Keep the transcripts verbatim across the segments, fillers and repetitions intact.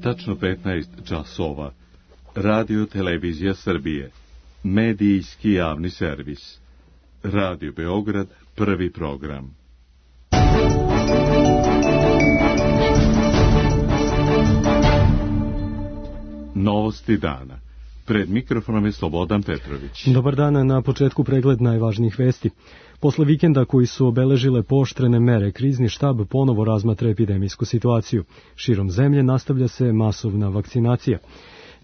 tačno petnaest časova. Radio Televizija Srbije. Medijski javni servis. Radio Beograd, prvi program. Novosti dana. Pred mikrofonom je Slobodan Petrović. Dobar dan, na početku pregled najvažnijih vesti. Posle vikenda koji su obeležile pooštrene mere, krizni štab ponovo razmatra epidemijsku situaciju. Širom zemlje nastavlja se masovna vakcinacija.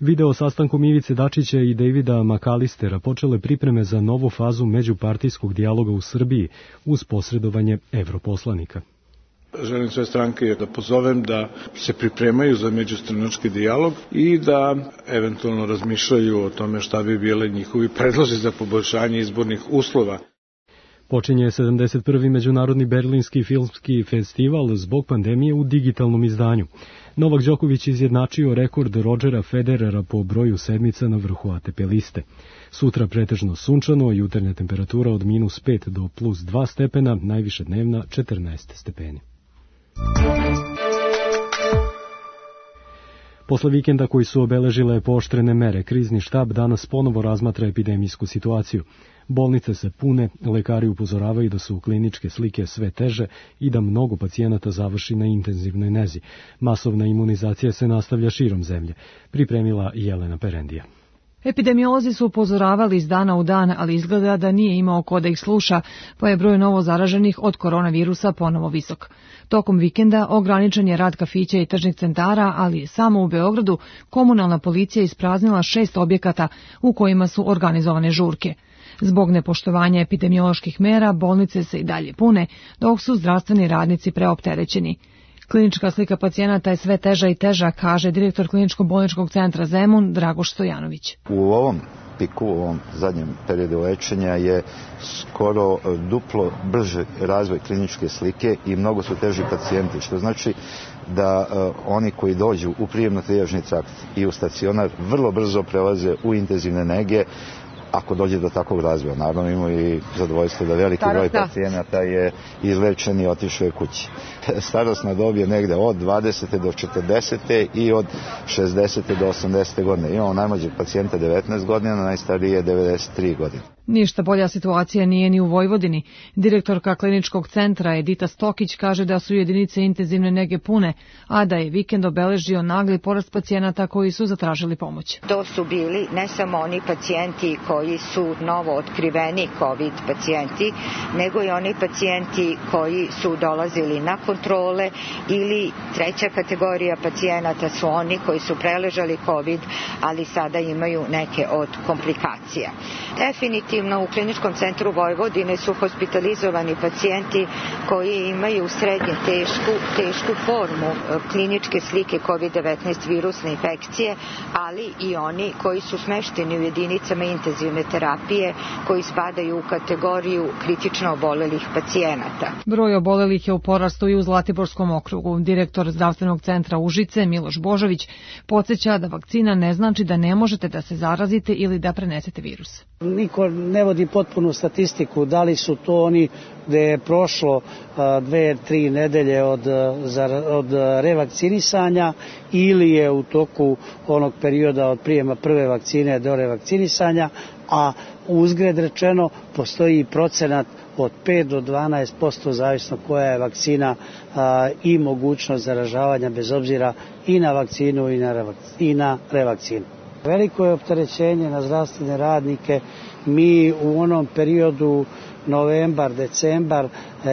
Video sastankom Ivice Dačića i Davida Makalistera počele pripreme za novu fazu međupartijskog dijaloga u Srbiji uz posredovanje evroposlanika. Želim sve stranke da pozovem da se pripremaju za međustranački dijalog i da eventualno razmišljaju o tome šta bi bile njihovi predlozi za poboljšanje izbornih uslova. Počinje sedamdeset prvi Međunarodni berlinski filmski festival zbog pandemije u digitalnom izdanju. Novak Đoković izjednačio rekord Rodgera Federera po broju sedmica na vrhu A T P liste. Sutra pretežno sunčano, jutarnja temperatura od minus pet do plus dva stepena, najviše dnevna četrnaest stepeni. Posle vikenda koji su obeležile pooštrene mere, krizni štab danas ponovo razmatra epidemijsku situaciju. Bolnice se pune, lekari upozoravaju da su kliničke slike sve teže i da mnogo pacijenata završi na intenzivnoj nezi. Masovna imunizacija se nastavlja širom zemlje, pripremila Jelena Perendija. Epidemiolozi su upozoravali iz dana u dan, ali izgleda da nije imao ko da ih sluša, pa je broj novo zaraženih od koronavirusa ponovo visok. Tokom vikenda ograničen je rad kafića i tržnih centara, ali samo u Beogradu komunalna policija ispraznila šest objekata u kojima su organizovane žurke. Zbog nepoštovanja epidemioloških mera, bolnice se i dalje pune, dok su zdravstveni radnici preopterećeni. Klinička slika pacijenata je sve teža i teža, kaže direktor Kliničko-bolničkog centra Zemun Dragoš Stojanović. U ovom piku, u ovom zadnjem periodu lečenja je skoro duplo brži razvoj kliničke slike i mnogo su teži pacijenti, što znači da uh, oni koji dođu u prijemno-trijažni trakt i u stacionar vrlo brzo prelaze u intenzivne nege, ako dođe do takvog razvoja. Naravno imamo i zadovoljstvo da veliki broj pacijenata je izlečen i otišao je kući. Starosna dob je negde od dvadesete do četrdesete i od šezdesete do osamdesete godine. Imamo najmlađeg pacijenta devetnaest godina, najstarije devedeset tri godine. Ništa bolja situacija nije ni u Vojvodini. Direktorka kliničkog centra Edita Stokić kaže da su jedinice intenzivne nege pune, a da je vikend obeležio nagli porast pacijenata koji su zatražili pomoć. To su bili ne samo oni pacijenti koji su novo otkriveni COVID pacijenti, nego i oni pacijenti koji su dolazili na kontrole ili treća kategorija pacijenata su oni koji su preležali COVID, ali sada imaju neke od komplikacija. Definitivno u Kliničkom centru Vojvodine su hospitalizovani pacijenti koji imaju srednje tešku, tešku formu kliničke slike COVID devetnaest virusne infekcije, ali i oni koji su smešteni u jedinicama intenzivne terapije koji spadaju u kategoriju kritično obolelih pacijenata. Broj obolelih je u porastu i u Zlatiborskom okrugu. Direktor zdravstvenog centra Užice Miloš Božović podsjeća da vakcina ne znači da ne možete da se zarazite ili da prenesete virus. Niko ne vodi potpunu statistiku, da li su to oni gde je prošlo dve, tri nedelje od, od revakcinisanja ili je u toku onog perioda od prijema prve vakcine do revakcinisanja, a uzgred rečeno postoji procenat od pet do dvanaest posto zavisno koja je vakcina a, i mogućnost zaražavanja bez obzira i na vakcinu i na, revakcinu, i na revakcinu. Veliko je opterećenje na zdravstvene radnike. Mi u onom periodu novembar, decembar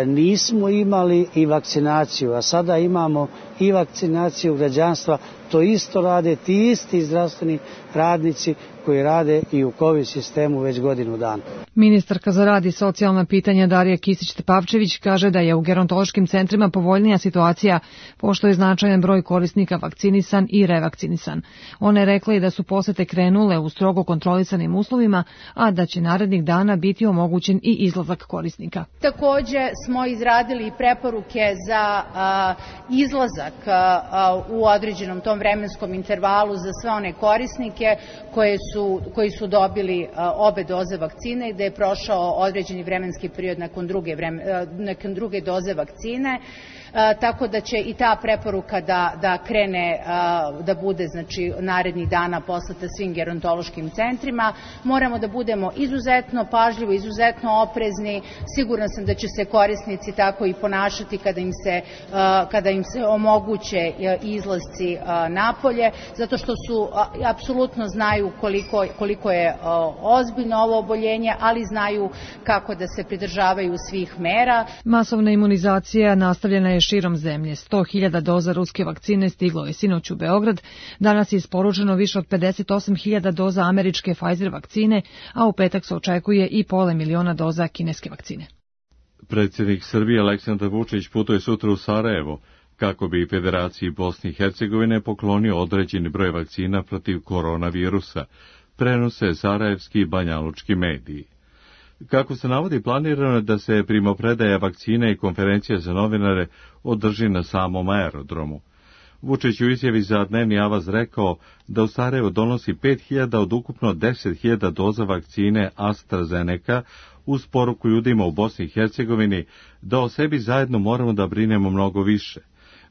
nismo imali i vakcinaciju, a sada imamo i vakcinaciju građanstva. To isto rade ti isti zdravstveni radnici koji rade i u COVID sistemu već godinu dana. Ministarka za rad i socijalna pitanja Darija Kisić-Tepavčević kaže da je u gerontološkim centrima povoljnija situacija, pošto je značajan broj korisnika vakcinisan i revakcinisan. Ona je rekla i da su posete krenule u strogo kontrolisanim uslovima, a da će narednih dana biti omogućen i izlazak korisnika. Takođe smo izradili preporuke za a, izlazak a, u određenom tom vremenskom intervalu za sve one korisnike koje su, koji su dobili a, obe doze vakcine i da je prošao određeni vremenski period nakon druge, vreme, nakon druge doze vakcine. tako da će i ta preporuka da, da krene, da bude znači narednih dana poslata svim gerontološkim centrima. Moramo da budemo izuzetno pažljivi, izuzetno oprezni. Sigurna sam da će se korisnici tako i ponašati kada im se, kada im se omoguće izlasci napolje, zato što su apsolutno znaju koliko, koliko je ozbiljno ovo oboljenje, ali znaju kako da se pridržavaju svih mera. Masovna imunizacija nastavljena je širom zemlje. sto hiljada doza ruske vakcine stiglo je sinoć u Beograd. Danas je isporučeno više od pedeset osam hiljada doza američke Pfizer vakcine, a u petak se očekuje i pola miliona doza kineske vakcine. Predsjednik Srbije Aleksandar Vučić putuje sutra u Sarajevo kako bi Federaciji Bosne i Hercegovine poklonio određeni broj vakcina protiv koronavirusa, prenose sarajevski i banjalučki mediji. Kako se navodi, planirano je da se primopredaja vakcina i konferencija za novinare održi na samom aerodromu. Vučić u izjavi za Dnevni avaz rekao da u Sarajevo donosi pet hiljada od ukupno deset hiljada doza vakcine AstraZeneca, uz poruku ljudima u Bosni i Hercegovini da o sebi zajedno moramo da brinemo mnogo više.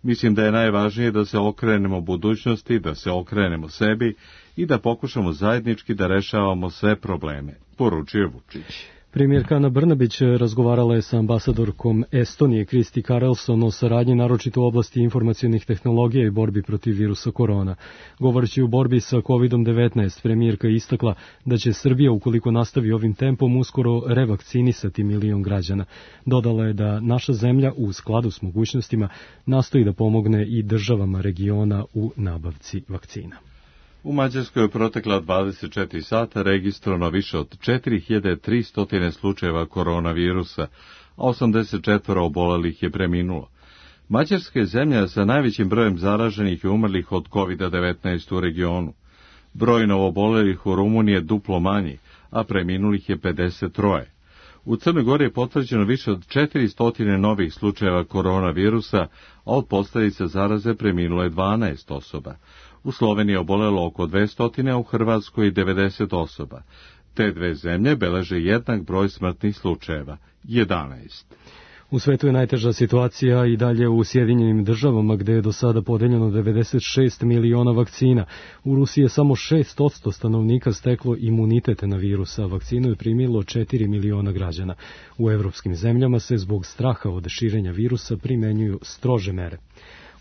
Mislim da je najvažnije da se okrenemo budućnosti, da se okrenemo sebi i da pokušamo zajednički da rešavamo sve probleme, poručuje Vučić. Premijerka Ana Brnabić razgovarala je sa ambasadorkom Estonije Kristi Karelson o saradnji naročito u oblasti informacionih tehnologija i borbi protiv virusa korona. Govoreći u borbi sa kovid devetnaest, premijerka je istakla da će Srbija, ukoliko nastavi ovim tempom, uskoro revakcinisati milion građana. Dodala je da naša zemlja u skladu s mogućnostima nastoji da pomogne i državama regiona u nabavci vakcina. U Mađarskoj je protekla dvadeset četiri sata registrovano više od četiri hiljade tristo slučajeva koronavirusa, a osamdeset četiri obolelih je preminulo. Mađarska je zemlja sa najvećim brojem zaraženih i umrlih od kovid devetnaest u regionu. Broj novoobolelih u Rumuniji je duplo manji, a preminulih je pedeset tri. U Crnoj Gori je potvrđeno više od četiristo novih slučajeva koronavirusa, a od posljedica zaraze preminulo je dvanaest osoba. U Sloveniji je obolelo oko dvesta, a u Hrvatskoj devedeset osoba. Te dve zemlje beleže jednak broj smrtnih slučajeva, jedanaest. U svetu je najteža situacija i dalje u Sjedinjenim državama, gde je do sada podeljeno devedeset šest miliona vakcina. U Rusiji je samo šest posto stanovnika steklo imunitet na virus, a vakcinu je primilo četiri miliona građana. U evropskim zemljama se zbog straha od širenja virusa primenjuju strože mere.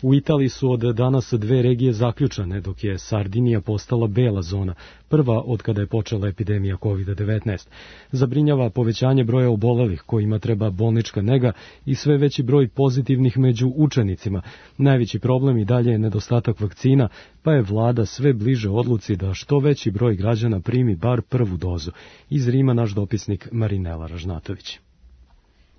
U Italiji su od danas dve regije zaključane, dok je Sardinija postala bela zona, prva od kada je počela epidemija kovid devetnaest. Zabrinjava povećanje broja obolelih kojima treba bolnička nega i sve veći broj pozitivnih među učenicima. Najveći problem i dalje je nedostatak vakcina, pa je vlada sve bliže odluci da što veći broj građana primi bar prvu dozu. Iz Rima naš dopisnik Marinela Ražnatović.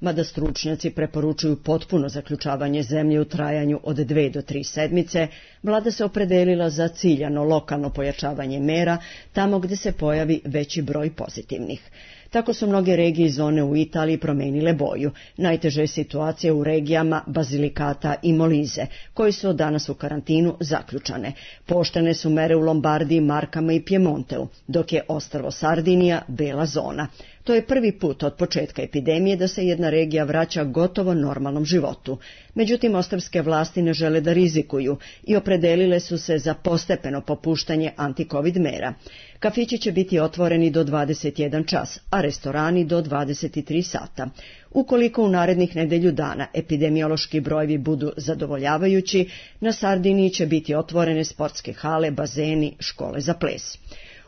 Mada stručnjaci preporučuju potpuno zaključavanje zemlje u trajanju od dve do tri sedmice, vlada se opredelila za ciljano lokalno pojačavanje mera tamo gdje se pojavi veći broj pozitivnih. Tako su mnoge regije i zone u Italiji promenile boju. Najteže je situacija u regijama Basilicata i Molise, koji su od danas u karantinu zaključane. Pooštrene su mere u Lombardiji, Markama i Piemonteu, dok je ostrvo Sardinija bela zona. To je prvi put od početka epidemije da se jedna regija vraća gotovo normalnom životu. Međutim, ostrvske vlasti ne žele da rizikuju i opredelile su se za postepeno popuštanje antikovid mera. Kafići će biti otvoreni do dvadeset jedan čas, a restorani do dvadeset tri sata. Ukoliko u narednih nedelju dana epidemiološki brojevi budu zadovoljavajući, na Sardiniji će biti otvorene sportske hale, bazeni, škole za ples.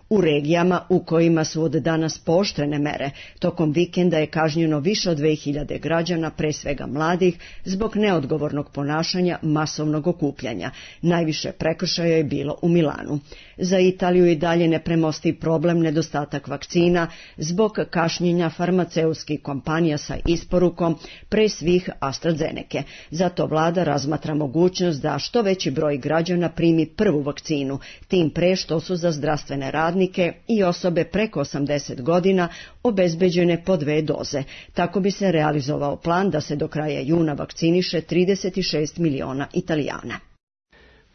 U regijama u kojima su od danas pooštrene mere, tokom vikenda je kažnjeno više od dve hiljade građana, pre svega mladih, zbog neodgovornog ponašanja masovnog okupljanja. Najviše prekršaja je bilo u Milanu. Za Italiju i dalje nepremostiv problem nedostatak vakcina zbog kašnjenja farmaceutskih kompanija sa isporukom, pre svih AstraZeneke. Zato vlada razmatra mogućnost da što veći broj građana primi prvu vakcinu, tim pre što su za zdravstvene radnike i osobe preko osamdeset godina obezbeđene po dve doze. Tako bi se realizovao plan da se do kraja juna vakciniše trideset šest miliona Italijana.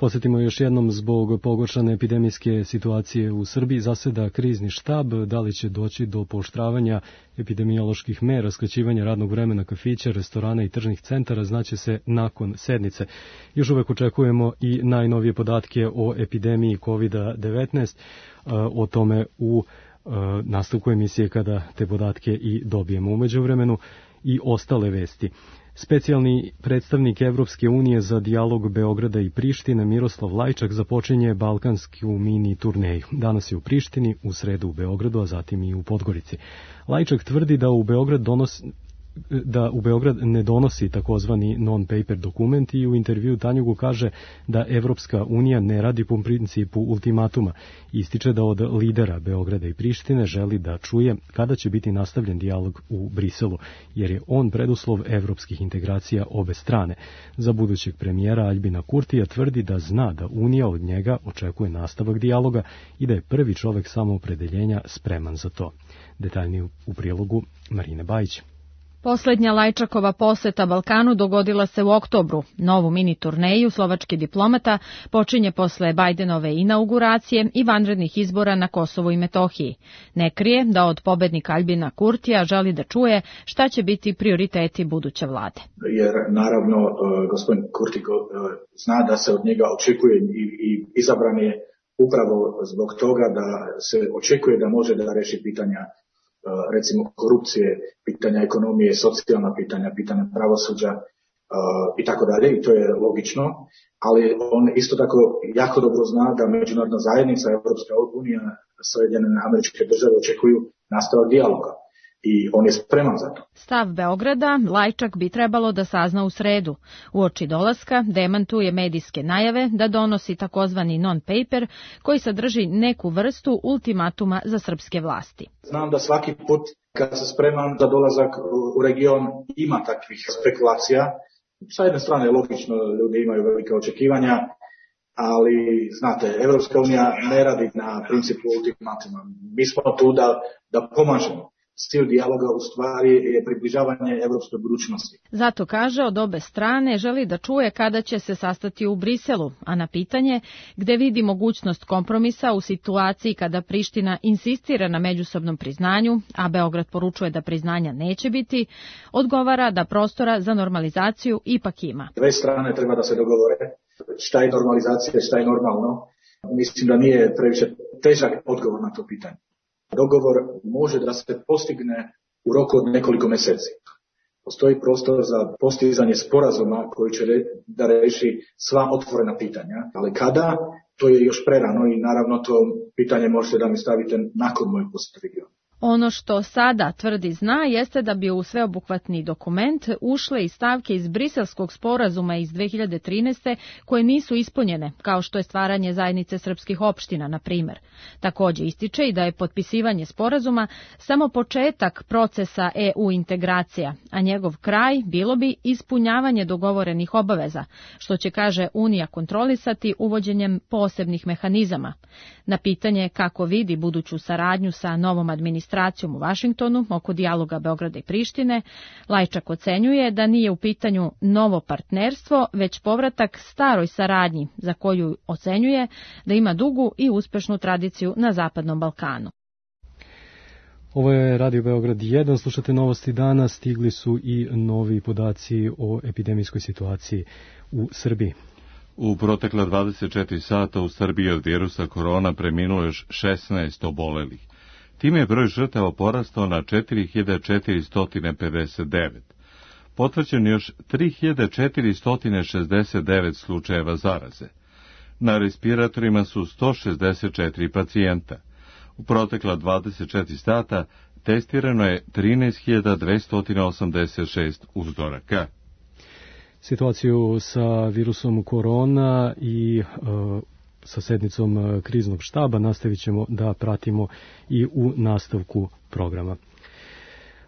Podsjetimo još jednom, zbog pogoršane epidemijske situacije u Srbiji zaseda krizni štab. Da li će doći do pooštravanja epidemioloških mera, skraćivanja radnog vremena kafića, restorana i tržnih centara, znaće se nakon sednice. Još uvek očekujemo i najnovije podatke o epidemiji kovid devetnaest, o tome u nastavku emisije kada te podatke i dobijemo. U međuvremenu i ostale vesti. Specijalni predstavnik Evropske unije za dijalog Beograda i Prištine Miroslav Lajčak započinje balkansku mini turneju. Danas je u Prištini, u sredu u Beogradu, a zatim i u Podgorici. Lajčak tvrdi da u Beograd donosi da u Beograd ne donosi takozvani non-paper dokument i u intervju Tanjugu kaže da Evropska unija ne radi po principu ultimatuma. Ističe da od lidera Beograda i Prištine želi da čuje kada će biti nastavljen dijalog u Briselu, jer je on preduslov evropskih integracija obe strane. Za budućeg premijera Aljbina Kurtija tvrdi da zna da Unija od njega očekuje nastavak dijaloga i da je prvi čovek samoopredeljenja spreman za to. Detaljnije u prilogu Marine Bajić. Poslednja Lajčakova poseta Balkanu dogodila se u oktobru. Novu mini turneju slovački diplomata počinje posle Bajdenove inauguracije i vanrednih izbora na Kosovu i Metohiji. Ne krije da od pobednika Aljbina Kurtija želi da čuje šta će biti prioriteti buduće vlade. Jer naravno gospodin Kurti zna da se od njega očekuje i izabran je upravo zbog toga da se očekuje da može da reši pitanja recimo korupcije, pitanja ekonomije, socijalna pitanja, pitanja pravosuđa i tako dalje, i to je logično, ali on isto tako jako dobro zna da međunarodna zajednica, Evropska unija, Sjedinjene Američke Države očekuju nastavak dijaloga i on je spreman za to. Stav Beograda Lajčak bi trebalo da sazna u sredu. Uoči dolaska demantuje medijske najave da donosi takozvani non-paper koji sadrži neku vrstu ultimatuma za srpske vlasti. Znam da svaki put kad se spreman za dolazak u region ima takvih spekulacija. Sa jedne strane logično, ljudi imaju velike očekivanja, ali znate, Evropska unija ne radi na principu ultimatuma. Mi smo tu da, da pomažemo. Cilj dijaloga u stvari je približavanje evropskoj budućnosti. Zato kaže od obe strane želi da čuje kada će se sastati u Briselu, a na pitanje gde vidi mogućnost kompromisa u situaciji kada Priština insistira na međusobnom priznanju, a Beograd poručuje da priznanja neće biti, odgovara da prostora za normalizaciju ipak ima. Dve strane treba da se dogovore šta je normalizacija, šta je normalno. Mislim da nije previše težak odgovor na to pitanje. Dogovor može da se postigne u roku od nekoliko meseci. Postoji prostor za postizanje sporazuma koji će da reši sva otvorena pitanja, ali kada, to je još prerano i naravno to pitanje možete da mi stavite nakon mojeg posjeta regionu. Ono što sada tvrdi zna jeste da bi u sveobuhvatni dokument ušle i stavke iz Briselskog sporazuma iz dve hiljade trinaeste koje nisu ispunjene, kao što je stvaranje zajednice srpskih opština, na primer. Takođe ističe i da je potpisivanje sporazuma samo početak procesa E U integracija, a njegov kraj bilo bi ispunjavanje dogovorenih obaveza, što će, kaže, Unija kontrolisati uvođenjem posebnih mehanizama. Na pitanje kako vidi buduću saradnju sa novom administracijom u Vašingtonu oko dijaloga Beograda i Prištine, Lajčak ocenjuje da nije u pitanju novo partnerstvo, već povratak staroj saradnji, za koju ocenjuje da ima dugu i uspešnu tradiciju na Zapadnom Balkanu. Ovo je Radio Beograd jedan, slušate novosti dana, stigli su i novi podaci o epidemijskoj situaciji u Srbiji. U protekla dvadeset četiri sata u Srbiji od virusa korona preminulo još šesnaest obolelih. Time je broj žrtava porastao na četiri hiljade četiristo pedeset devet. Potvrđeno još tri hiljade četiristo šezdeset devet slučajeva zaraze. Na respiratorima su sto šezdeset četiri pacijenta. U protekla dvadeset četiri sata testirano je trinaest hiljada dvesta osamdeset šest uzoraka. Situaciju sa virusom korona i uh, sa sednicom kriznog štaba nastavit ćemo da pratimo i u nastavku programa.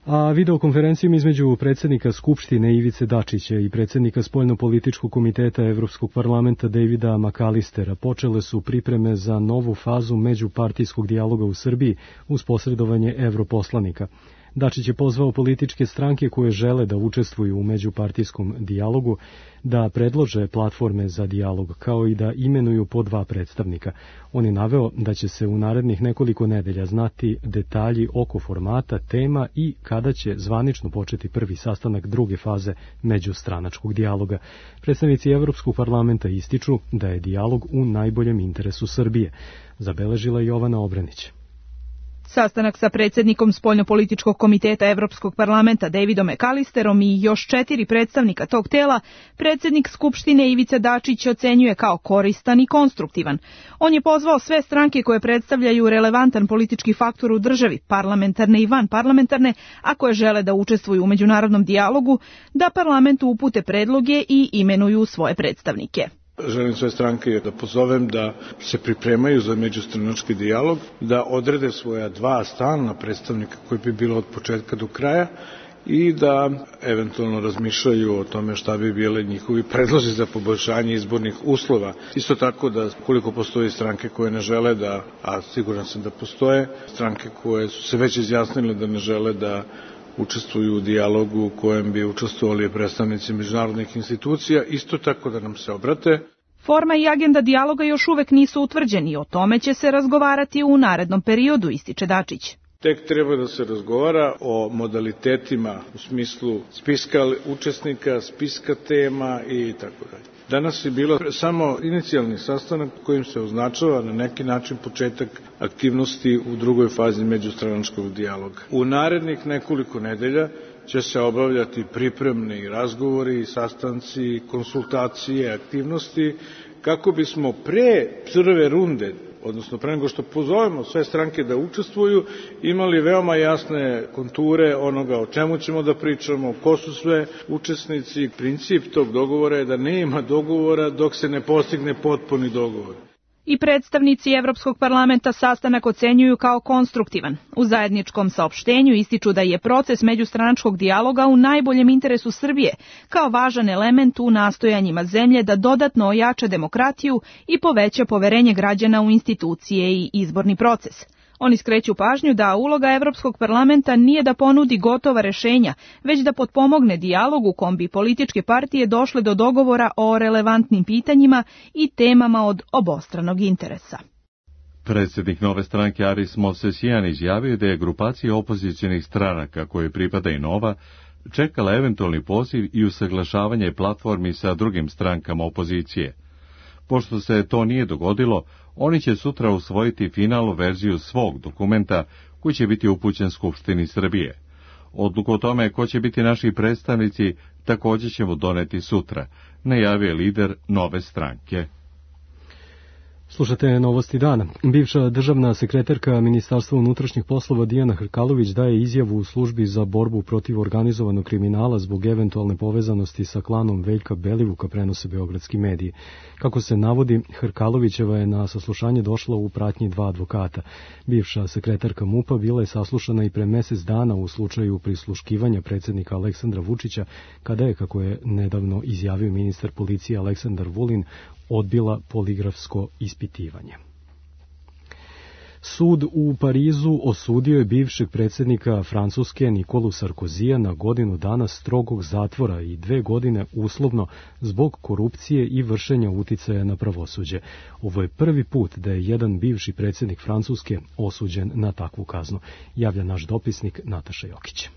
A videokonferencijom između predsjednika Skupštine Ivice Dačića i predsjednika Spoljnopolitičkog komiteta Evropskog parlamenta Davida McAllistera počele su pripreme za novu fazu međupartijskog dijaloga u Srbiji uz posredovanje evroposlanika. Dačić je pozvao političke stranke koje žele da učestvuju u međupartijskom dijalogu da predlože platforme za dijalog, kao i da imenuju po dva predstavnika. On je naveo da će se u narednih nekoliko nedelja znati detalji oko formata, tema i kada će zvanično početi prvi sastanak druge faze međustranačkog dijaloga. Predstavnici Evropskog parlamenta ističu da je dijalog u najboljem interesu Srbije, zabeležila Jovana Obrenić. Sastanak sa predsjednikom Spoljnopolitičkog komiteta Evropskog parlamenta Davidom McAllisterom i još četiri predstavnika tog tela, predsjednik Skupštine Ivica Dačić ocenjuje kao koristan i konstruktivan. On je pozvao sve stranke koje predstavljaju relevantan politički faktor u državi, parlamentarne i vanparlamentarne, a koje žele da učestvuju u međunarodnom dijalogu, da parlamentu upute predloge i imenuju svoje predstavnike. Želim sve stranke da pozovem da se pripremaju za međustranački dijalog, da odrede svoja dva stalna predstavnika koji bi bilo od početka do kraja i da eventualno razmišljaju o tome šta bi bile njihovi predlozi za poboljšanje izbornih uslova. Isto tako da koliko postoji stranke koje ne žele da, a siguran sam da postoje, stranke koje su se već izjasnile da ne žele da učestvuju u dijalogu u kojem bi učestvovali predstavnici međunarodnih institucija, isto tako da nam se obrate. Forma i agenda dijaloga još uvek nisu utvrđeni i o tome će se razgovarati u narednom periodu, ističe Dačić. Tek treba da se razgovara o modalitetima u smislu spiska učesnika, spiska tema i tako dalje. Danas je bilo samo inicijalni sastanak kojim se označava na neki način početak aktivnosti u drugoj fazi međustranačkog dijaloga. U narednih nekoliko nedelja će se obavljati pripremni razgovori, sastanci, konsultacije, aktivnosti kako bismo pre prve runde, odnosno pre nego što pozovemo sve stranke da učestvuju, imali veoma jasne konture onoga o čemu ćemo da pričamo, ko su sve učesnici. Princip tog dogovora je da nema dogovora dok se ne postigne potpuni dogovor. I predstavnici Evropskog parlamenta sastanak ocenjuju kao konstruktivan. U zajedničkom saopštenju ističu da je proces međustranačkog dijaloga u najboljem interesu Srbije, kao važan element u nastojanjima zemlje da dodatno ojača demokratiju i poveća poverenje građana u institucije i izborni proces. Oni skreću pažnju da uloga Evropskog parlamenta nije da ponudi gotova rešenja, već da potpomogne dijalog u kom bi političke partije došle do dogovora o relevantnim pitanjima i temama od obostranog interesa. Predsjednik Nove stranke Aris Movsesian izjavio da je grupacija opozicionih stranaka koje pripada i Nova čekala eventualni poziv i usaglašavanje platformi sa drugim strankama opozicije. Pošto se to nije dogodilo, oni će sutra usvojiti finalnu verziju svog dokumenta koji će biti upućen Skupštini Srbije. Odluku o tome ko će biti naši predstavnici također ćemo doneti sutra, najavio je lider Nove stranke. Slušate novosti dana. Bivša državna sekretarka Ministarstva unutrašnjih poslova Dijana Hrkalović daje izjavu u službi za borbu protiv organizovanog kriminala zbog eventualne povezanosti sa klanom Veljka Belivuka, prenose beogradski mediji. Kako se navodi, Hrkalovićeva je na saslušanje došla u pratnji dva advokata. Bivša sekretarka MUP-a bila je saslušana i pre mesec dana u slučaju prisluškivanja predsjednika Aleksandra Vučića, kada je, kako je nedavno izjavio ministar policije Aleksandar Vulin, odbila poligrafsko ispitivanje. Sud u Parizu osudio je bivšeg predsjednika Francuske Nikolu Sarkozija na godinu dana strogog zatvora i dve godine uslovno zbog korupcije i vršenja uticaja na pravosuđe. Ovo je prvi put da je jedan bivši predsjednik Francuske osuđen na takvu kaznu, javlja naš dopisnik Nataša Jokić.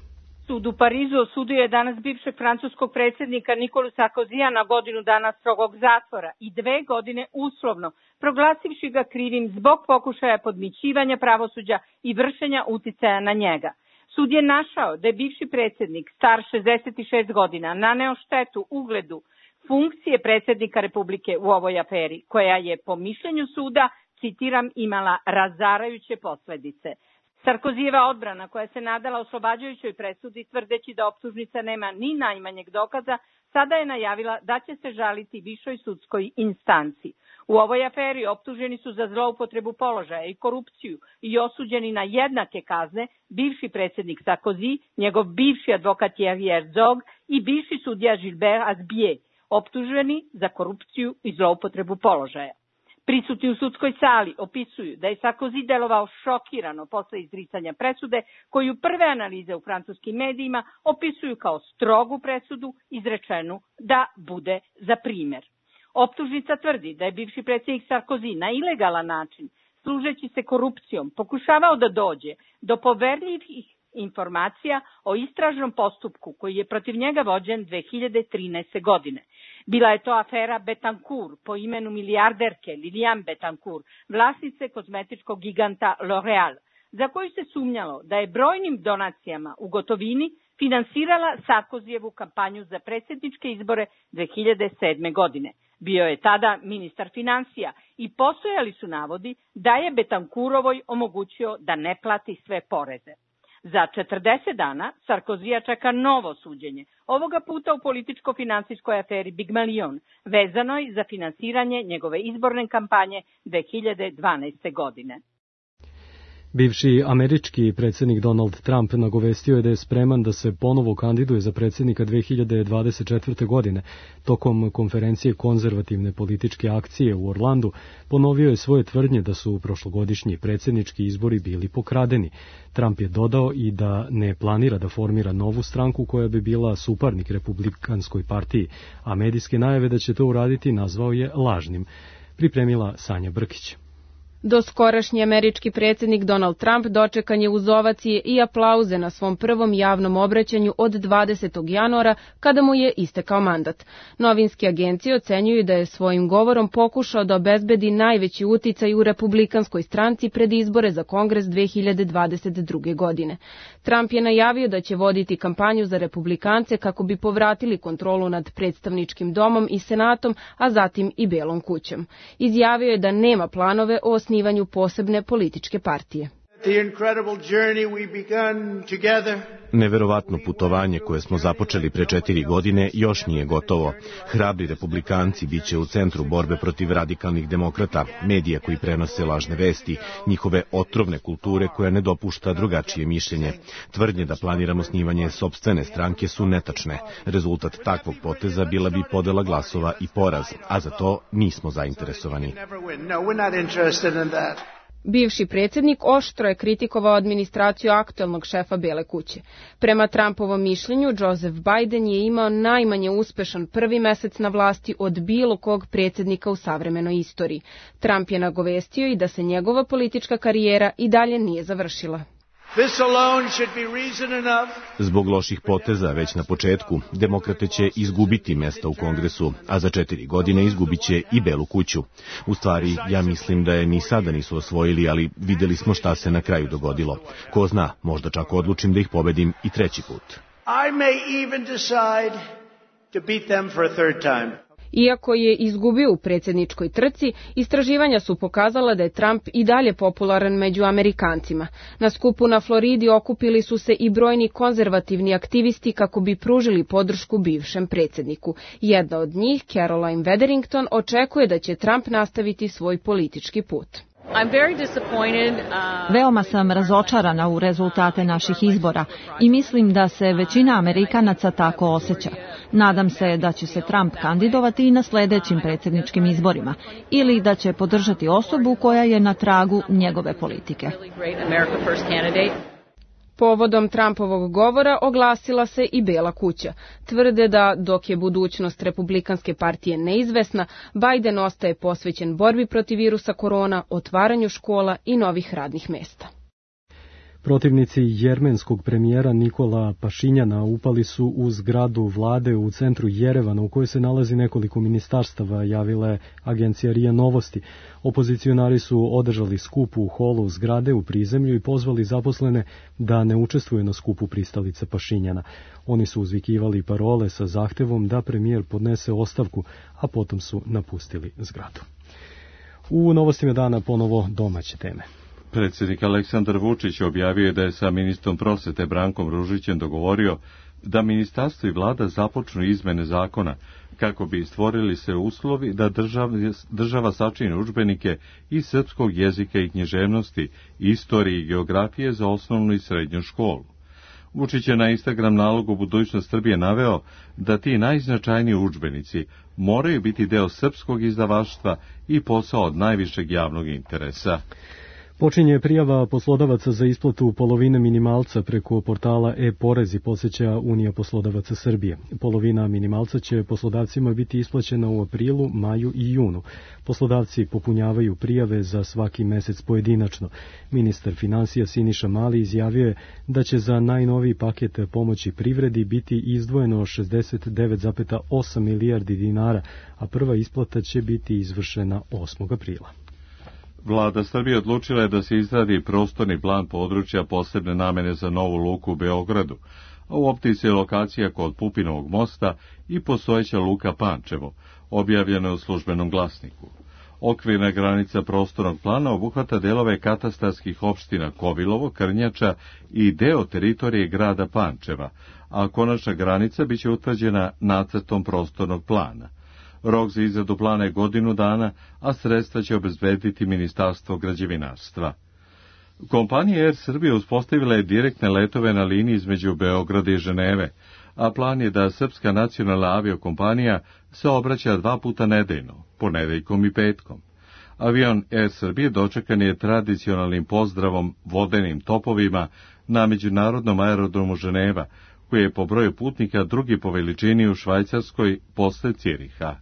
Sud u Parizu osudio je danas bivšeg francuskog predsjednika Nikolu Sarkozija na godinu dana strogog zatvora i dve godine uslovno, proglasivši ga krivim zbog pokušaja podmićivanja pravosuđa i vršenja uticaja na njega. Sud je našao da je bivši predsjednik, star šezdeset šest godina, naneo štetu ugledu funkcije predsjednika Republike u ovoj aferi, koja je, po mišljenju suda, citiram, imala razarajuće posledice. Sarkozijeva odbrana, koja se nadala oslobađajućoj presudi tvrdeći da optužnica nema ni najmanjeg dokaza, sada je najavila da će se žaliti višoj sudskoj instanci. U ovoj aferi optuženi su za zloupotrebu položaja i korupciju i osuđeni na jednake kazne bivši predsjednik Sarkozy, njegov bivši advokat Thierry Herzog i bivši sudija Gilbert Azbier, optuženi za korupciju i zloupotrebu položaja. Prisutni u sudskoj sali opisuju da je Sarkozy delovao šokirano posle izricanja presude, koju prve analize u francuskim medijima opisuju kao strogu presudu izrečenu da bude za primer. Optužnica tvrdi da je bivši predsjednik Sarkozy na ilegalan način, služeći se korupcijom, pokušavao da dođe do poverljivih informacija o istražnom postupku koji je protiv njega vođen dve hiljade trinaeste. godine. Bila je to afera Betancourt po imenu milijarderke Liliane Betancourt, vlasnice kozmetičkog giganta L'Oreal, za koju se sumnjalo da je brojnim donacijama u gotovini finansirala Sarkozijevu kampanju za predsjedničke izbore dve hiljade sedme. godine. Bio je tada ministar finansija i postojali su navodi da je Betancurovoj omogućio da ne plati sve poreze. Za četrdeset dana Sarkozija čeka novo suđenje, ovoga puta u političko-finansijskoj aferi Big Million, vezanoj za finansiranje njegove izborne kampanje dve hiljade dvanaeste. godine. Bivši američki predsjednik Donald Trump nagovestio je da je spreman da se ponovo kandiduje za predsjednika dve hiljade dvadeset četvrte. godine. Tokom konferencije konzervativne političke akcije u Orlandu ponovio je svoje tvrdnje da su prošlogodišnji predsjednički izbori bili pokradeni. Trump je dodao i da ne planira da formira novu stranku koja bi bila suparnik Republikanskoj partiji, a medijske najave da će to uraditi nazvao je lažnim. Pripremila Sanja Brkić. Doskorašnji američki predsjednik Donald Trump dočekan je uz ovacije i aplauze na svom prvom javnom obraćanju od dvadesetog januara, kada mu je istekao mandat. Novinske agencije ocenjuju da je svojim govorom pokušao da obezbedi najveći uticaj u republikanskoj stranci pred izbore za Kongres dve hiljade dvadeset druge. godine. Trump je najavio da će voditi kampanju za republikance kako bi povratili kontrolu nad predstavničkim domom i senatom, a zatim i Belom kućom. Izjavio je da nema planove o osnivanju posebne političke partije. Neverovatno putovanje koje smo započeli pre četiri godine još nije gotovo. Hrabri republikanci bit će u centru borbe protiv radikalnih demokrata, medija koji prenose lažne vesti, njihove otrovne kulture koja ne dopušta drugačije mišljenje. Tvrdnje da planiramo osnivanje sopstvene stranke su netačne. Rezultat takvog poteza bila bi podela glasova i poraz, a za to nismo zainteresovani. Bivši predsjednik oštro je kritikovao administraciju aktuelnog šefa Bele kuće. Prema Trumpovom mišljenju, Joseph Biden je imao najmanje uspešan prvi mesec na vlasti od bilo kog predsjednika u savremenoj istoriji. Trump je nagovestio i da se njegova politička karijera i dalje nije završila. Zbog loših poteza već na početku, demokrate će izgubiti mesta u Kongresu, a za četiri godine izgubit će i Belu kuću. U stvari, ja mislim da je ni sada nisu osvojili, ali vidjeli smo šta se na kraju dogodilo. Ko zna, možda čak odlučim da ih pobedim i treći put. I may even decide to beat them for a third time. Iako je izgubio u predsjedničkoj trci, istraživanja su pokazala da je Trump i dalje popularan među Amerikancima. Na skupu na Floridi okupili su se i brojni konzervativni aktivisti kako bi pružili podršku bivšem predsjedniku. Jedna od njih, Caroline Wetherington, očekuje da će Trump nastaviti svoj politički put. Veoma sam razočarana u rezultate naših izbora i mislim da se većina Amerikanaca tako osjeća. Nadam se da će se Trump kandidovati i na sljedećim predsjedničkim izborima ili da će podržati osobu koja je na tragu njegove politike. Povodom Trumpovog govora oglasila se i Bela kuća. Tvrde da, dok je budućnost Republikanske partije neizvesna, Biden ostaje posvećen borbi protiv virusa korona, otvaranju škola i novih radnih mesta. Protivnici jermenskog premijera Nikola Pašinjana upali su u zgradu vlade u centru Jerevana u kojoj se nalazi nekoliko ministarstava, javila je agencija R I A Novosti. Opozicionari su održali skup u holu zgrade u prizemlju i pozvali zaposlene da ne učestvuju na skupu pristalica Pašinjana. Oni su uzvikivali parole sa zahtevom da premijer podnese ostavku, a potom su napustili zgradu. U novostima dana ponovo domaće teme. Predsjednik Aleksandar Vučić objavio je da je sa ministrom prosvete Brankom Ružićem dogovorio da ministarstvo i vlada započnu izmene zakona kako bi stvorili se uslovi da država, država sačini udžbenike iz srpskog jezika i književnosti, istorije i geografije za osnovnu i srednju školu. Vučić je na Instagram nalogu Budućnost Srbije naveo da ti najznačajniji udžbenici moraju biti deo srpskog izdavaštva i posao od najvišeg javnog interesa. Počinje prijava poslodavaca za isplatu polovine minimalca preko portala e-porezi, podsjeća Unija poslodavaca Srbije. Polovina minimalca će poslodavcima biti isplaćena u aprilu, maju i junu. Poslodavci popunjavaju prijave za svaki mesec pojedinačno. Ministar finansija Siniša Mali izjavio je da će za najnoviji paket pomoći privredi biti izdvojeno šezdeset devet zarez osam milijardi dinara, a prva isplata će biti izvršena osmog aprila. Vlada Srbije odlučila je da se izradi prostorni plan područja posebne namene za novu luku u Beogradu, a u optici je lokacija kod Pupinovog mosta i postojeća luka Pančevo, objavljena u Službenom glasniku. Okvirna granica prostornog plana obuhvata delove katastarskih opština Kovilovo, Krnjača i deo teritorije grada Pančeva, a konačna granica biće utvrđena nacrtom prostornog plana. Rok za izradu plana je godinu dana, a sredstva će obezbediti Ministarstvo građevinarstva. Kompanija Er Srbija uspostavila je direktne letove na liniji između Beograda i Ženeve, a plan je da Srpska nacionalna aviokompanija se obraća dva puta nedeljno, ponedeljkom i petkom. Avion Er Srbije dočekan je tradicionalnim pozdravom vodenim topovima na međunarodnom aerodromu Ženeva, koji je po broju putnika drugi po veličini u Švajcarskoj posle Ciriha.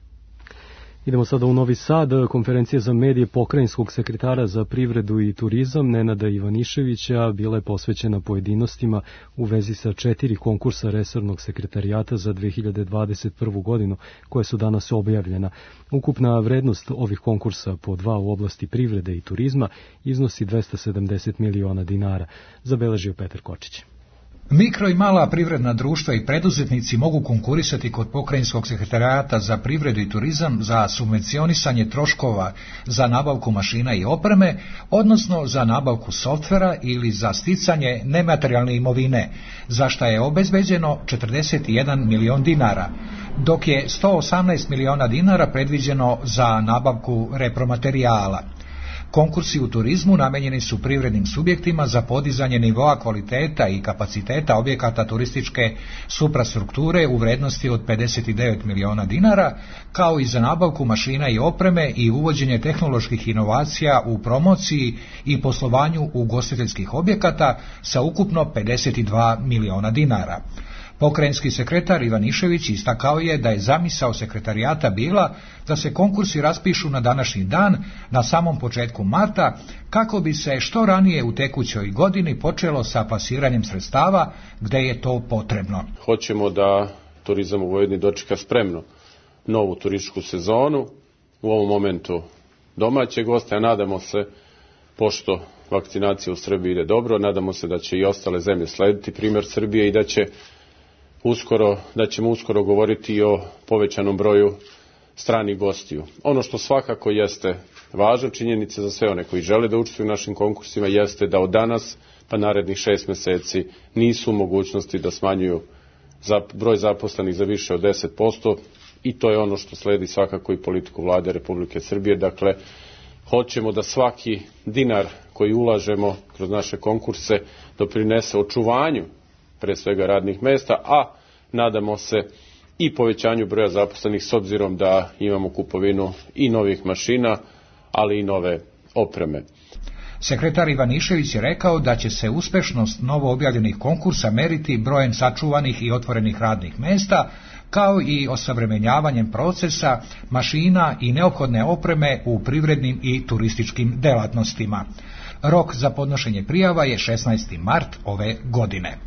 Idemo sada u Novi Sad. Konferencija za medije pokrajinskog sekretara za privredu i turizam Nenada Ivaniševića bila je posvećena pojedinostima u vezi sa četiri konkursa resornog sekretarijata za dve hiljade dvadeset prvu godinu, koje su danas objavljena. Ukupna vrednost ovih konkursa po dva u oblasti privrede i turizma iznosi dvesta sedamdeset miliona dinara, zabeležio Petar Kočić. Mikro i mala privredna društva i preduzetnici mogu konkurisati kod pokrajinskog sekretarijata za privredu i turizam za subvencionisanje troškova za nabavku mašina i opreme, odnosno za nabavku softvera ili za sticanje nematerijalne imovine, za šta je obezbeđeno četrdeset jedan milion dinara, dok je sto osamnaest miliona dinara predviđeno za nabavku repromaterijala. Konkursi u turizmu namenjeni su privrednim subjektima za podizanje nivoa kvaliteta i kapaciteta objekata turističke suprastrukture u vrednosti od pedeset devet miliona dinara, kao i za nabavku mašina i opreme i uvođenje tehnoloških inovacija u promociji i poslovanju ugostiteljskih objekata sa ukupno pedeset dva miliona dinara. Pokrajinski sekretar Ivanišević istakao je da je zamisao sekretarijata bila da se konkursi raspišu na današnji dan, na samom početku marta, kako bi se što ranije u tekućoj godini počelo sa plasiranjem sredstava gde je to potrebno. Hoćemo da turizam u Vojvodini dočeka spremno novu turističku sezonu, u ovom momentu domaće goste, a nadamo se, pošto vakcinacija u Srbiji ide dobro, nadamo se da će i ostale zemlje slediti primjer Srbije i da će uskoro, da ćemo uskoro govoriti o povećanom broju stranih gostiju. Ono što svakako jeste važna činjenica za sve one koji žele da učestvuju u našim konkursima jeste da od danas pa narednih šest meseci nisu u mogućnosti da smanjuju broj zaposlenih za više od deset posto i to je ono što sledi svakako i politiku Vlade Republike Srbije. Dakle, hoćemo da svaki dinar koji ulažemo kroz naše konkurse doprinese očuvanju pre svega radnih mesta, a nadamo se i povećanju broja zaposlenih s obzirom da imamo kupovinu i novih mašina, ali i nove opreme. Sekretar Ivanišević je rekao da će se uspešnost novo objavljenih konkursa meriti brojem sačuvanih i otvorenih radnih mesta, kao i osavremenjavanjem procesa, mašina i neophodne opreme u privrednim i turističkim delatnostima. Rok za podnošenje prijava je šesnaesti mart ove godine.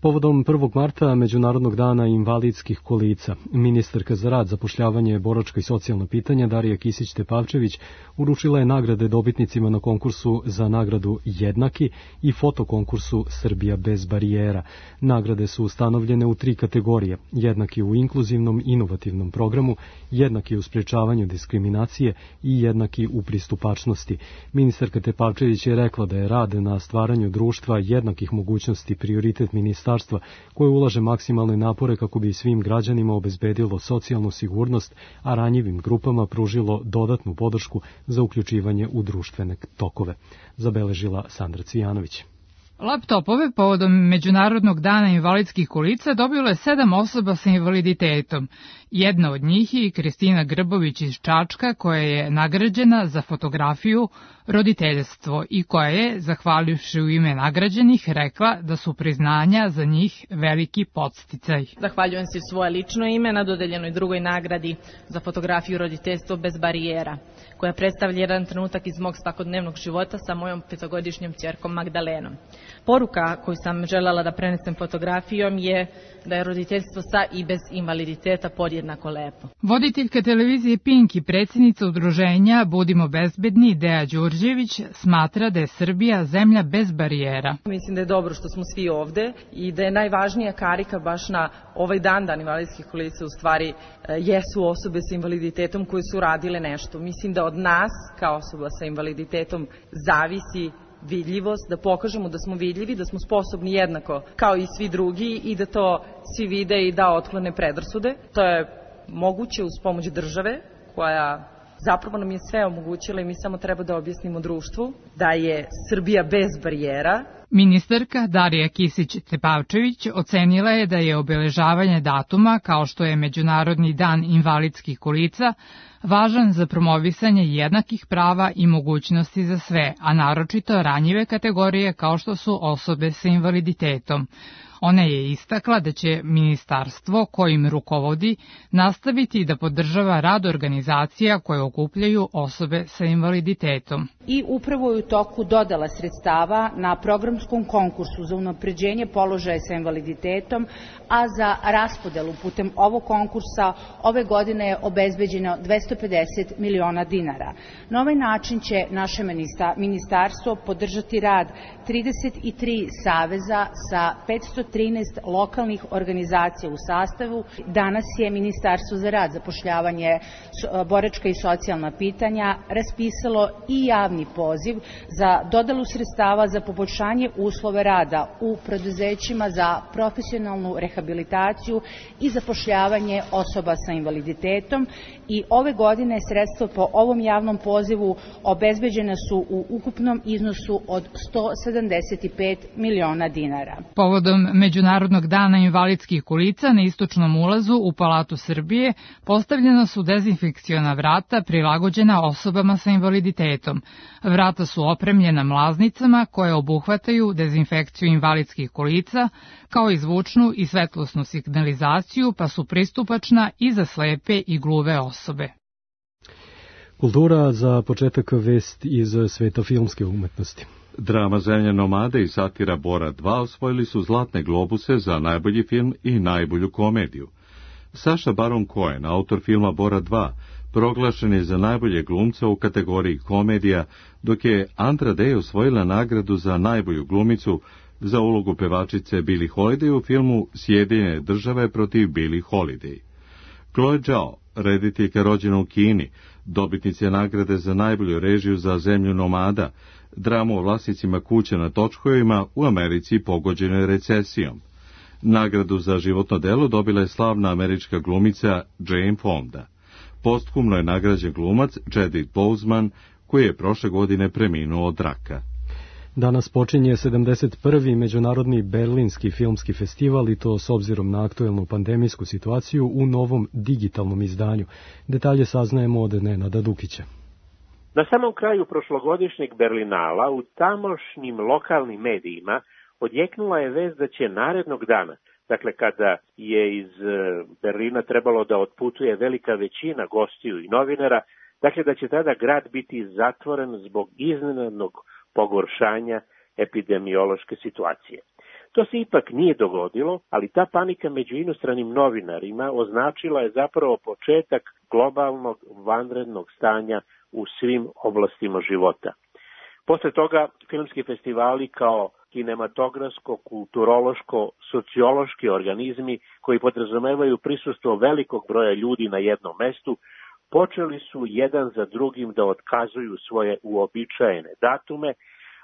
Povodom prvog marta, Međunarodnog dana invalidskih kolica, ministarka za rad, zapošljavanje, boračka i socijalna pitanja Darija Kisić-Tepavčević uručila je nagrade dobitnicima na konkursu za nagradu Jednaki i fotokonkursu Srbija bez barijera. Nagrade su ustanovljene u tri kategorije: jednaki u inkluzivnom inovativnom programu, jednaki u sprečavanju diskriminacije i jednaki u pristupačnosti. Ministarka Tepavčević je rekla da je rad na stvaranju društva jednakih mogućnosti prioritet ministarstva koje ulaže maksimalne napore kako bi svim građanima obezbedilo socijalnu sigurnost, a ranjivim grupama pružilo dodatnu podršku za uključivanje u društvene tokove, zabeležila Sandra Cvijanović. Laptopove povodom Međunarodnog dana invalidskih kolica dobilo je sedam osoba sa invaliditetom. Jedna od njih je i Kristina Grbović iz Čačka, koja je nagrađena za fotografiju roditeljstvo i koja je, zahvalivši u ime nagrađenih, rekla da su priznanja za njih veliki podsticaj. Zahvaljujem se u svoje lično ime na dodeljenoj drugoj nagradi za fotografiju roditeljstvo bez barijera, koja predstavlja jedan trenutak iz mog svakodnevnog života sa mojom petogodišnjom ćerkom Magdalenom. Poruka koju sam željela da prenesem fotografijom je da je roditeljstvo sa i bez invaliditeta podjednako lepo. Voditeljka televizije Pink i predsjednica udruženja Budimo bezbedni, Deja Đurđević, smatra da je Srbija zemlja bez barijera. Mislim da je dobro što smo svi ovde i da je najvažnija karika baš na ovaj dan, dan invalidskih kolica, u stvari jesu osobe sa invaliditetom koje su radile nešto. Mislim da od nas, kao osoba sa invaliditetom, zavisi vidljivost, da pokažemo da smo vidljivi, da smo sposobni jednako kao i svi drugi i da to svi vide i da otklone predrasude. To je moguće uz pomoć države koja zapravo nam je sve omogućila i mi samo treba da objasnimo društvu da je Srbija bez barijera. Ministarka Darija Kisić-Tepavčević ocenila je da je obeležavanje datuma, kao što je Međunarodni dan invalidskih kolica, važan za promovisanje jednakih prava i mogućnosti za sve, a naročito ranjive kategorije kao što su osobe sa invaliditetom. Ona je istakla da će ministarstvo kojim rukovodi nastaviti da podržava rad organizacija koje okupljaju osobe sa invaliditetom. I upravo je u toku dodala sredstava na programskom konkursu za unapređenje položaja sa invaliditetom, a za raspodelu putem ovog konkursa ove godine je obezbeđeno dvesta pedeset miliona dinara. Na ovaj način će naše ministarstvo podržati rad trideset tri saveza sa petsto trinaest lokalnih organizacija u sastavu. Danas je Ministarstvo za rad, zapošljavanje, boračka i socijalna pitanja raspisalo i javni poziv za dodelu sredstava za poboljšanje uslove rada u preduzećima za profesionalnu rehabilitaciju i zapošljavanje osoba sa invaliditetom i ove godine sredstva po ovom javnom pozivu obezbeđena su u ukupnom iznosu od sto sedamdeset pet miliona dinara. Povodom Međunarodnog dana invalidskih kolica na istočnom ulazu u Palatu Srbije postavljena su dezinfekciona vrata prilagođena osobama sa invaliditetom. Vrata su opremljena mlaznicama koje obuhvataju dezinfekciju invalidskih kolica, kao i zvučnu i svetlosnu signalizaciju, pa su pristupačna i za slepe i gluve osobe. Kultura, za početak vest iz sveta filmske umetnosti. Drama Zemlja nomade i satira Bora dva osvojili su Zlatne globuse za najbolji film i najbolju komediju. Saša Baron Cohen, autor filma Bora dva, proglašen je za najbolje glumca u kategoriji komedija, dok je Andra Day osvojila nagradu za najbolju glumicu za ulogu pevačice Billie Holiday u filmu Sjedinjene države protiv Billie Holiday. Chloe Zhao, rediteljka rođena u Kini, dobitnica je nagrade za najbolju režiju za Zemlju nomada, dramu o vlasnicima kuća na točkovima u Americi pogođenoj recesijom. Nagradu za životno delo dobila je slavna američka glumica Jane Fonda. Posthumno je nagrađen glumac Chadwick Boseman, koji je prošle godine preminuo od raka. Danas počinje sedamdeset prvi Međunarodni Berlinski filmski festival i to s obzirom na aktuelnu pandemijsku situaciju u novom digitalnom izdanju. Detalje saznajemo od Nenada Dukića. Na samom kraju prošlogodišnjeg Berlinala u tamošnjim lokalnim medijima odjeknula je vest da će narednog dana, dakle kada je iz Berlina trebalo da otputuje velika većina gostiju i novinara, dakle da će tada grad biti zatvoren zbog iznenadnog pogoršanja epidemiološke situacije. To se ipak nije dogodilo, ali ta panika među inostranim novinarima označila je zapravo početak globalnog vanrednog stanja u svim oblastima života. Posle toga filmski festivali kao kinematografsko, kulturološko, sociološki organizmi koji podrazumevaju prisustvo velikog broja ljudi na jednom mestu, počeli su jedan za drugim da otkazuju svoje uobičajene datume,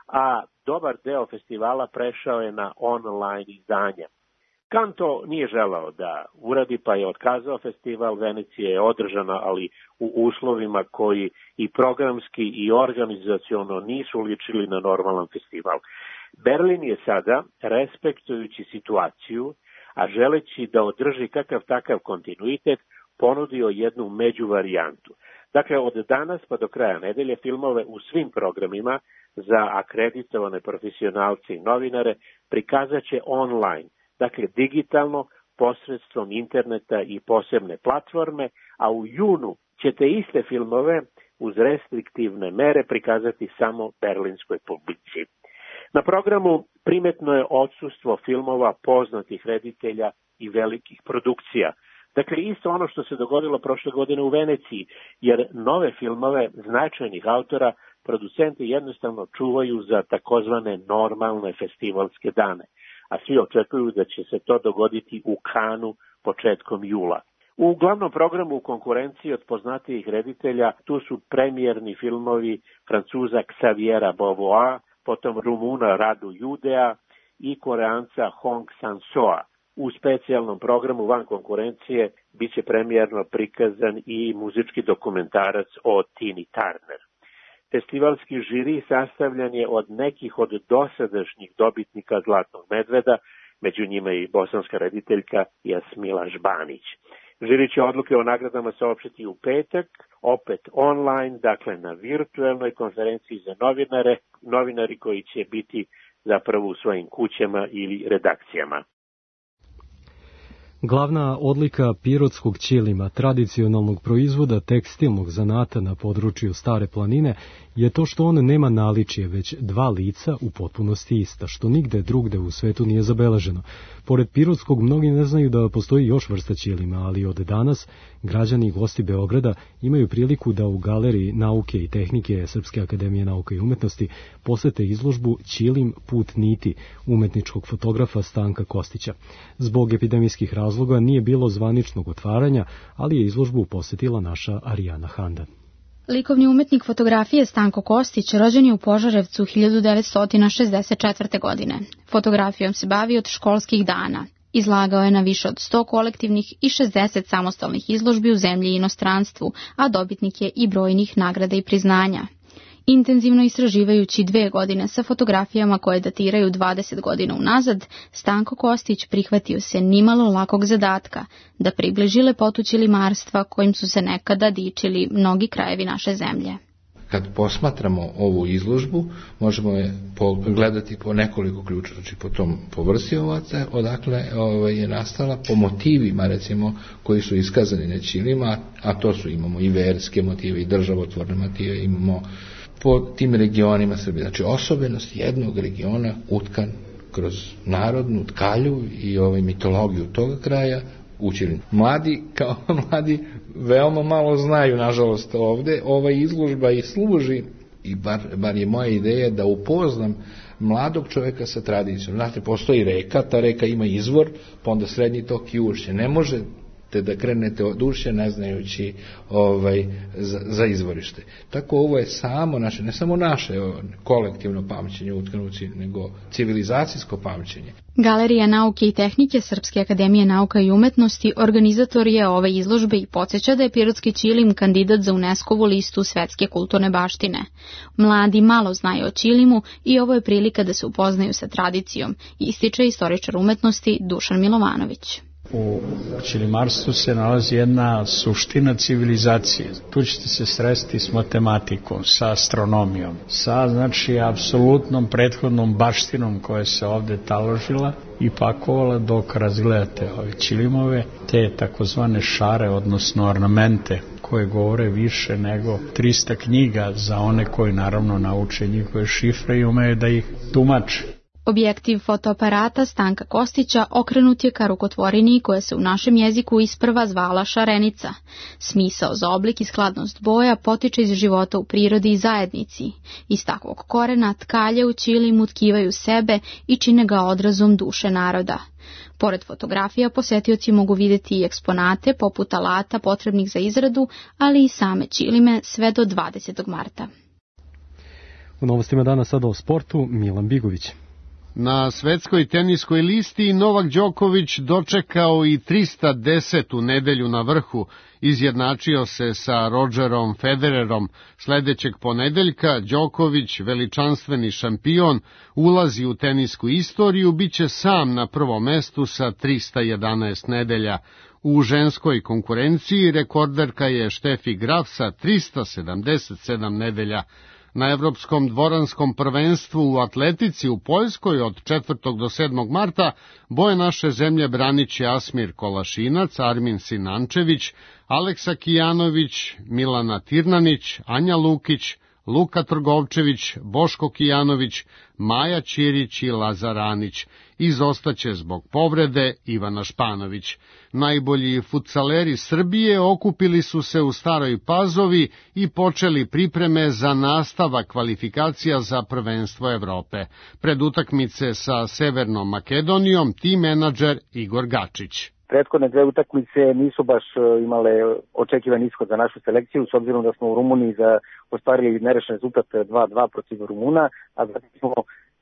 a dobar deo festivala prešao je na online izdanja. Kan to nije želao da uradi, pa je otkazao festival. Venecija je održana, ali u uslovima koji i programski i organizaciono nisu ličili na normalan festival. Berlin je sada, respektujući situaciju, a želeći da održi kakav takav kontinuitet, ponudio jednu međuvarijantu. Dakle, od danas pa do kraja nedelje filmove u svim programima za akreditovane profesionalce i novinare prikazat će online, dakle digitalno, posredstvom interneta i posebne platforme, a u junu će te iste filmove uz restriktivne mere prikazati samo berlinskoj publici. Na programu primetno je odsustvo filmova poznatih reditelja i velikih produkcija. Dakle, isto ono što se dogodilo prošle godine u Veneciji, jer nove filmove značajnih autora producenti jednostavno čuvaju za takozvane normalne festivalske dane, a svi očekuju da će se to dogoditi u Kanu početkom jula. U glavnom programu u konkurenciji od poznatijih reditelja tu su premijerni filmovi Francuza Xaviera Beauvois, potom Rumuna Radu Judea i Koreanca Hong Sang-soa. U specijalnom programu van konkurencije biće premijerno prikazan i muzički dokumentarac o Tini Turner. Festivalski žiri sastavljan je od nekih od dosadašnjih dobitnika Zlatnog medveda, među njima i bosanska rediteljka Jasmila Žbanić. Žiri će odluke o nagradama saopštiti u petak, opet online, dakle na virtuelnoj konferenciji za novinare, novinari koji će biti zapravo u svojim kućama ili redakcijama. Glavna odlika pirotskog ćilima, tradicionalnog proizvoda tekstilnog zanata na području Stare planine, je to što on nema naličje, već dva lica u potpunosti ista, što nigde drugde u svetu nije zabeleženo. Pored pirotskog, mnogi ne znaju da postoji još vrsta ćilima, ali od danas građani i gosti Beograda imaju priliku da u Galeriji nauke i tehnike Srpske akademije nauke i umetnosti posete izložbu Ćilim put niti umetničkog fotografa Stanka Kostića. Zbog epidemijskih razloga nije bilo zvaničnog otvaranja, ali je izložbu posetila naša Arijana Handan. Likovni umetnik fotografije Stanko Kostić rođen je u Požarevcu hiljadu devetsto šezdeset četvrte. godine. Fotografijom se bavi od školskih dana. Izlagao je na više od sto kolektivnih i šezdeset samostalnih izložbi u zemlji i inostranstvu, a dobitnik je i brojnih nagrada i priznanja. Intenzivno istraživajući dve godine sa fotografijama koje datiraju dvadeset godina unazad, Stanko Kostić prihvatio se nimalo lakog zadatka da približi lepotu ćilimarstva kojim su se nekada dičili mnogi krajevi naše zemlje. Kad posmatramo ovu izložbu, možemo je gledati po nekoliko ključa, znači po tom po vrsti ovaca, odakle ovaj, je nastala, po motivima recimo koji su iskazani na ćilima, a to su imamo i verske motive i državotvorne motive, imamo po tim regionima Srbije. Znači osobenost jednog regiona utkan kroz narodnu tkalju i ovaj mitologiju toga kraja u ćilima. Mladi, kao mladi, veoma malo znaju, nažalost, ovde. Ova izložba i služi, i bar, bar je moja ideja, da upoznam mladog čoveka sa tradicijom. Znate, postoji reka, ta reka ima izvor, pa onda srednji tok i ušće. Ne može da krenete od ušća ne znajući ovaj, za, za izvorište. Tako ovo je samo naše, ne samo naše kolektivno pamćenje u utkanuci, nego civilizacijsko pamćenje. Galerija nauke i tehnike Srpske akademije nauka i umetnosti organizator je ove izložbe i podsjeća da je pirotski ćilim kandidat za UNESCO-vu listu svetske kulturne baštine. Mladi malo znaju o ćilimu i ovo je prilika da se upoznaju sa tradicijom, ističe istoričar umetnosti Dušan Milovanović. U ćilimarstvu se nalazi jedna suština civilizacije. Tu ćete se sresti s matematikom, sa astronomijom, sa znači apsolutnom prethodnom baštinom koja se ovde taložila i pakovala dok razgledate ove ćilimove, te takozvane šare, odnosno ornamente koje govore više nego trista knjiga za one koji naravno nauče njihove šifre i umeju da ih tumače. Objektiv fotoaparata Stanka Kostića okrenut je ka rukotvorini koja se u našem jeziku isprva zvala šarenica. Smisao za oblik i skladnost boja potiče iz života u prirodi i zajednici. Iz takvog korena tkalje u ćilimu tkivaju sebe i čine ga odrazom duše naroda. Pored fotografija, posetioci mogu vidjeti i eksponate poput alata potrebnih za izradu, ali i same ćilime sve do dvadesetog marta. U novostima dana sada o sportu, Milan Bigović. Na svetskoj teniskoj listi Novak Đoković dočekao i trista desetu nedelju na vrhu, izjednačio se sa Rodgerom Federerom. Sledećeg ponedeljka Đoković, veličanstveni šampion, ulazi u tenisku istoriju, biće sam na prvom mestu sa trista jedanaest nedelja. U ženskoj konkurenciji rekorderka je Štefi Graf sa trista sedamdeset sedam nedelja. Na Evropskom dvoranskom prvenstvu u atletici u Poljskoj od četvrtog do sedmog marta boje naše zemlje braniće Asmir Kolašinac, Armin Sinančević, Aleksa Kijanović, Milana Tirnanić, Anja Lukić, Luka Trgovčević, Boško Kijanović, Maja Ćirić i Lazar Anić. Izostaće zbog povrede Ivana Španović. Najbolji futsaleri Srbije okupili su se u Staroj Pazovi i počeli pripreme za nastavak kvalifikacija za prvenstvo Evrope. Pred utakmice sa Severnom Makedonijom tim menadžer Igor Gačić. Prethodne dve utakmice nisu baš imale očekivan ishod za našu selekciju, s obzirom da smo u Rumuniji za ostvarili nerešen rezultat dva dva protiv Rumuna, a zatim smo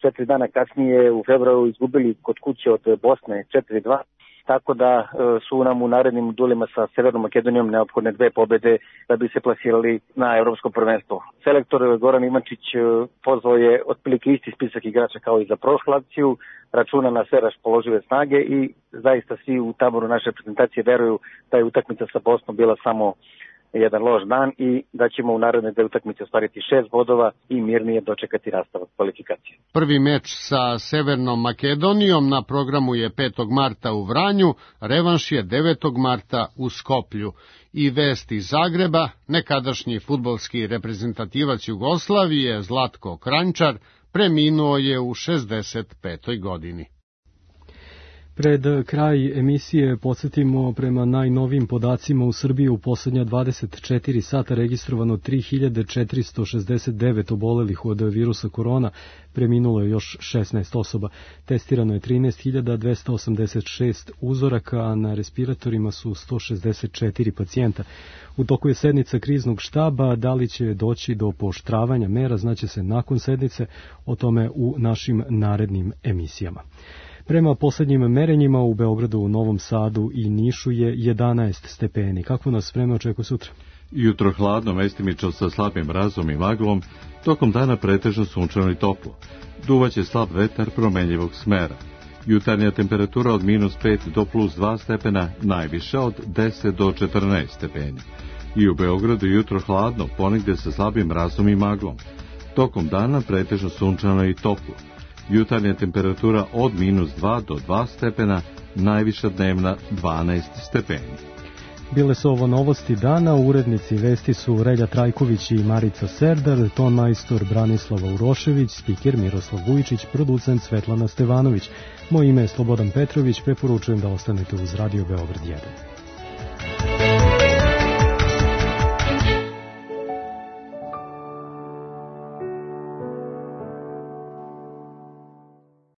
četiri dana kasnije u februaru izgubili kod kuće od Bosne četiri dva, tako da su nam u narednim duelima sa Severnom Makedonijom neophodne dve pobede da bi se plasirali na evropsko prvenstvo. Selektor Goran Ivančić pozvao je otprilike isti spisak igrača kao i za prošlu akciju, računa na sve raspoložive snage i zaista svi u taboru naše reprezentacije veruju da je utakmica sa Bosnom bila samo jedan loš dan i da ćemo u naredne dve utakmice ostvariti šest bodova i mirnije dočekati nastavak kvalifikacije. Prvi meč sa Severnom Makedonijom na programu je petog marta u Vranju, revanš je devetog marta u Skoplju. I vest iz Zagreba, nekadašnji fudbalski reprezentativac Jugoslavije Zlatko Kranjčar preminuo je u šezdeset petoj godini. Pred kraj emisije podsjetimo, prema najnovijim podacima u Srbiji u poslednja dvadeset četiri sata registrovano tri hiljade četiristo šezdeset devet obolelih od virusa korona, preminulo je još šesnaest osoba, testirano je trinaest hiljada dvesta osamdeset šest uzoraka, a na respiratorima su sto šezdeset četiri pacijenta. U toku je sednica kriznog štaba, da li će doći do pooštravanja mera znaće se nakon sednice, o tome u našim narednim emisijama. Prema poslednjim merenjima u Beogradu, u Novom Sadu i Nišu je jedanaest stepeni. Kako nas vreme očekuje sutra? Jutro hladno, mestimično sa slabim mrazom i maglom, tokom dana pretežno sunčano i toplo. Duvaće slab vetar promenljivog smera. Jutarnja temperatura od minus pet do plus dva stepena, najviša od deset do četrnaest stepeni. I u Beogradu jutro hladno, ponegde sa slabim mrazom i maglom. Tokom dana pretežno sunčano i toplo. Jutarnja temperatura od minus dva do dva stepena, najviša dnevna dvanaest stepeni. Bile su ovo novosti dana, urednici vesti su Relja Trajković i Marica Serdar, ton majstor Branislava Urošević, spiker Miroslav Vujičić, producent Svetlana Stevanović. Moje ime je Slobodan Petrović, preporučujem da ostanete uz Radio Beograd jedan.